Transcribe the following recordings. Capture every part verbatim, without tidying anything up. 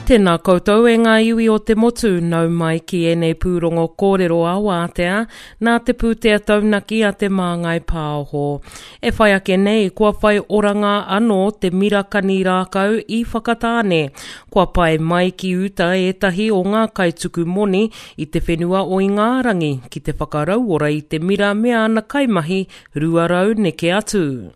Tēnā koutou e ngā iwi o te motu, nau mai ki ēnei pūrongo kōrero a wātea, nā te pūtea taunaki a Te Māngai Pāho. E whai ake nei, kua whai oranga anō te mira kani rākau i Whakatāne. Kua pae mai ki uta ētahi o ngā kaituku moni i te whenua o Ingarangi ki te whakarauora i te mira me ana kaimahi rua rau neke atu.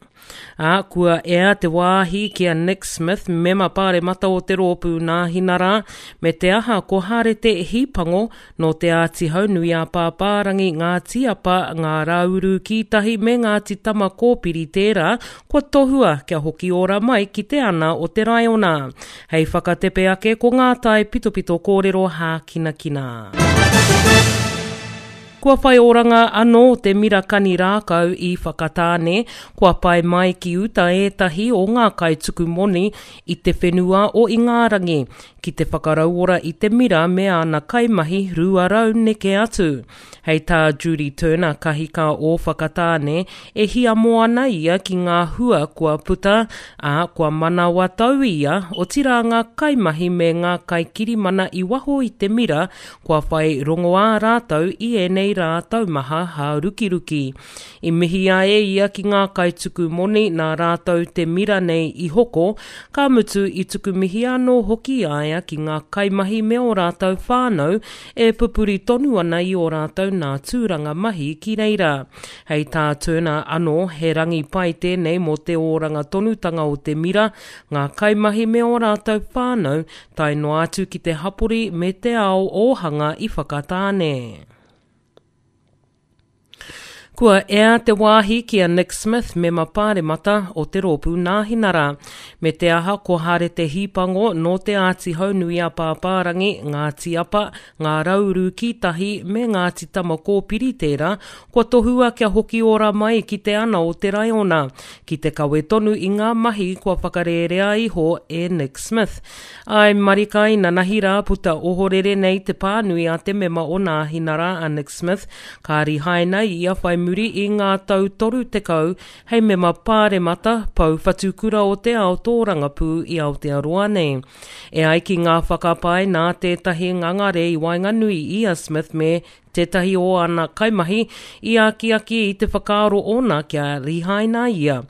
Ā, kua ea te wāhi ki a Nick Smith, mema pāremata o te rōpū Nāhinara, me te aha ko Harete Hīpango nō Te Āti Haunui a Pāpārangi, Ngāti Apa, Ngā Rāuru Kītahi me Ngāti Tama Kōpiri tērā kua tohua kia hoki ora mai ki te ana o te raiona. Hei whakatepe ake ko ngā tae pitopito kōrero hākinakina. Kua whai oranga anō te mira kani rākau i Whakatāne, kua pae mai ki uta ētahi o ngā kaituku moni i te whenua o Ingarangi, ki te whakarauora i te mira me ana kaimahi rua rau neke atu. Hei tā Judy Turner kahika o Whakatāne, e hiamo ana ia ki ngā hua kua puta, ā, kua manawa tau ia, otirā ngā kaimahi me ngā kaikirimana i waho i te mira, kua whai rongoā rātou i ēnei rā taumaha hārukiruki. I mihia e ia ki ngā kaituku moni nā rātou te mira nei i hoko, ka mutu i tuku mihi anō hoki a ia ki ngā kaimahi me ō rātou whānau e pupuri tonu ana i ō rātou nā tūranga mahi ki reira. Hei tā Turner anō, he rangi pai tēnei mō te oranga tonutanga o te mira, ngā kaimahi me ō rātou whānau, tae noa atu ki te hapori me te ao ōhanga i Whakatāne. Kua ea te wāhi ki a Nick Smith, mema pāremata o te rōpū Nāhinara. Me te aha ko Harete Hīpango nō Te Āti Haunui a Pāpārangi, Ngāti Apa, Ngā Rauru Kītahi me Ngāti Tama Kōpiri tērā, kua tohua kia hoki ora mai ki te ana o te raiona, ki te kawe tonu i ngā mahi kua whakarērea iho e Nick Smith. Āe marika inanahi rā puta ohorere nei te pānui a te mema o Nāhinara a Nick Smith, ka rihaina ia whai muri i ngā tau toru tekau hei mema pāremata pou whatukura o te ao tōrangapū i Aotearoa nei. E ai ki ngā whakapae nā tētahi ngangare i waenganui i a Smith me tētahi o ana kaimahi i akiaki i te whakaaro ōna kia rihaina ia.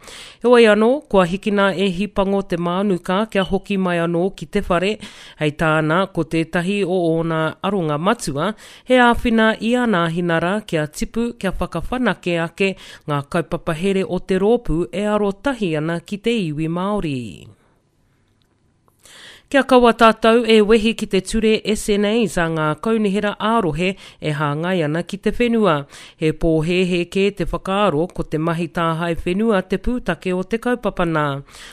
Heoi anō, kua hikina e Hipango te mānuka kia hoki mai anō ki te whare, hei tāna ko tētahi o ōna aronga matua, he āwhina i a Nāhinara kia tipu, kia whakawhanake ake ngā kaupapa here o te rōpū e arotahi ana ki te iwi Māori. Kia kaua tātou e wehi ki te ture S N As a ngā kaunihera ā-rohe e hāngai ana ki te whenua. He pōhēhē kē te whakaaro ko te mahi tāhae whenua te pūtake o te kaupapa nā.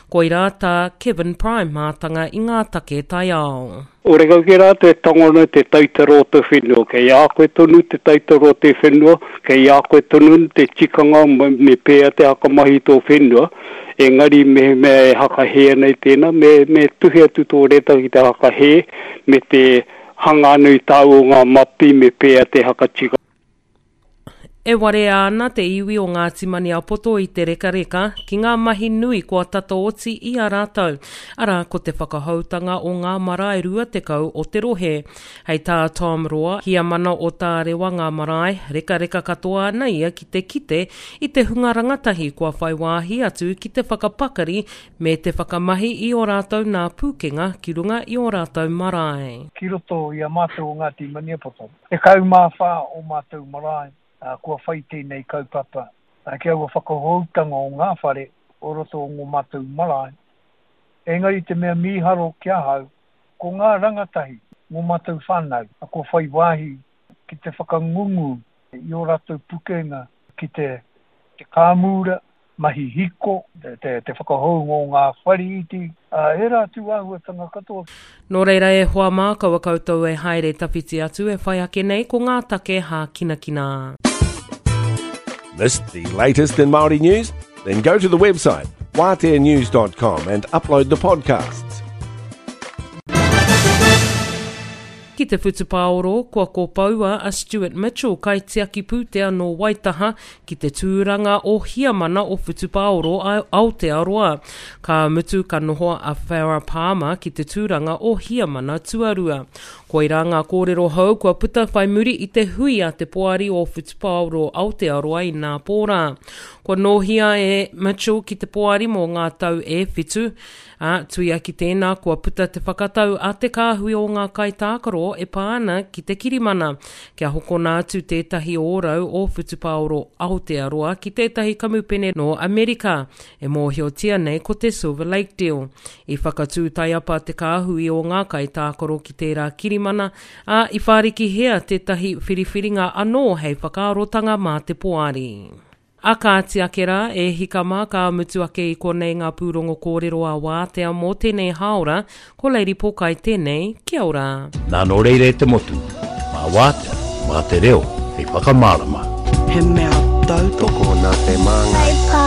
Koirā tā Kevin Prime mātanga i ngā take taiao. Ore kau ki rātou e tango ana te taitara o te whenua, kei a koe tonu te taitara o te whenua, kei a koe tonu te tikanga me pēa te hakamahi tō whenua, engari mehemea e hakahē ana i tēnā, me, me tuhi atu tō reta ki te hakahē, me te hanga anu i tāu o ngā mapi me pēa te hakatika. E warea ana te iwi o Ngāti Maniapoto i te rekareka ki ngā mahi nui kua tata oti i a rātou, arā ko te whakahoutanga o ngā marae rua tekau o te rohe. Hei tā Tom Roa, hiamana o Tārewa ngā marae, rekareka katoa ana ia ki te kite i te hunga rangatahi kua whai wāhi atu ki te whakapakari me te whakamahi i ō rātou nā pūkenga ki runga i ō rātou marae. Ki roto i a mātou o Ngāti Maniapoto, tekau mā whā o mātou marae, kua whai tēnei kaupapa, ki aua whakahoutanga o ngā whare o roto o ngō mātou marae. Engari te mea mīharo ki ahau, ko ngā rangatahi, ngō mātou whānau, kua whai wāhi ki te whakangungu i ō rātou pukenga ki te, te kāmura, mahi hiko, te, te, te whakahounga o ngā whare iti, ērā atu āhuatanga katoa. Nō reira e hoa mā, kaua koutou e haere tawhiti atu e whai ake nei ko ngā take hākinakina. Missed the latest in Māori news? Then go to the website wātea news dot com and upload the podcasts. Ki Ki te whutupaoro, kua kopoua a Stuart Mitchell kaitiaki pūtea nō Waitaha ki te tūranga o Hiamana o Whutupaoro Aotearoa. Ka mutu ka noho a Farah Palmer ki te tūranga o Hiamana tuarua. Koirā ngā kōrero hou kua puta whai muri i te hui a te poari o Whutupaoro Aotearoa i nā pōrā. Kua nōhia e Mitchell ki te poari mō ngā tau e whitu, ā, tuia ki tēnā kua puta te whakatau a te kāhui o ngā kaitākaro e pā ana ki te kirimana, kia hokona atu tētahi ōrau o Whutupaoro Aotearoa ki tētahi kamupene nō Amerika, e mōhiotia nei ko te Silver Lake Deal. I whakatū taiapa te kāhui o ngā kaitākaro ki tērā kirimana, ā, i whārikihia tētahi whiriwhiringa anō hei whakaarotanga mā te poari. A kāti ake rā, e hika mā ka mutu ake i konei ngā pūrongo kōrero a wātea mō tēnei hāora, ko Lady Pōkai tēnei, kia ora. Nā nō reira e te motu, mā wātea, mā te reo, hei whakamārama. He mea tautoko Tokona te māngai.